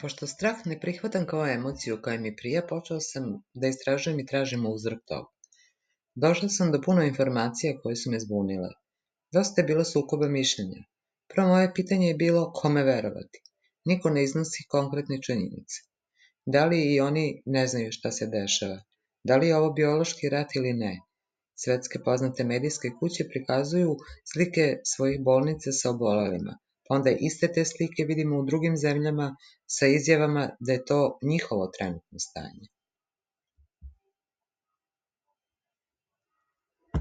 Pošto strah ne prihvatam kao emociju koja mi prija, počeo sam da istražujem i tražim uzrok toga. Došla sam do puno informacija koje su me zbunile. Dosta je bilo sukoba mišljenja. Prvo moje pitanje je bilo kome verovati. Niko ne iznosi konkretne činjenice. Da li i oni ne znaju šta se dešava? Da li je ovo biološki rat ili ne? Svetske poznate medijske kuće prikazuju slike svojih bolnica sa obolelima, pa onda iste te slike vidimo u drugim zemljama sa izjavama da je to njihovo trenutno stanje.